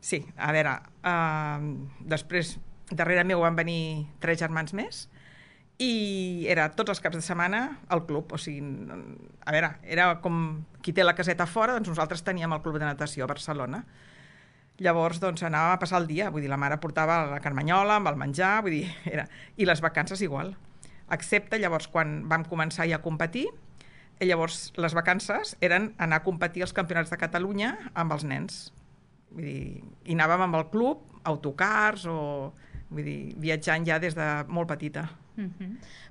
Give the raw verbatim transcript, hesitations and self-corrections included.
Sí, a veure, uh, després, darrere meu van venir tres germans més, i era tots els caps de setmana al club, o sigui, a veure, era com qui té la caseta fora, doncs nosaltres teníem el club de natació a Barcelona. Llavors, doncs, anàvem a passar el dia, vull dir, la mare portava la carmanyola amb el menjar, vull dir, era... I les vacances igual, excepte llavors quan vam començar ja a competir, i llavors les vacances eren anar a competir als campionats de Catalunya amb els nens. Vull dir, i anàvem amb el club, autocars o... Vull dir, viatjant ja des de molt petita. Uh-huh.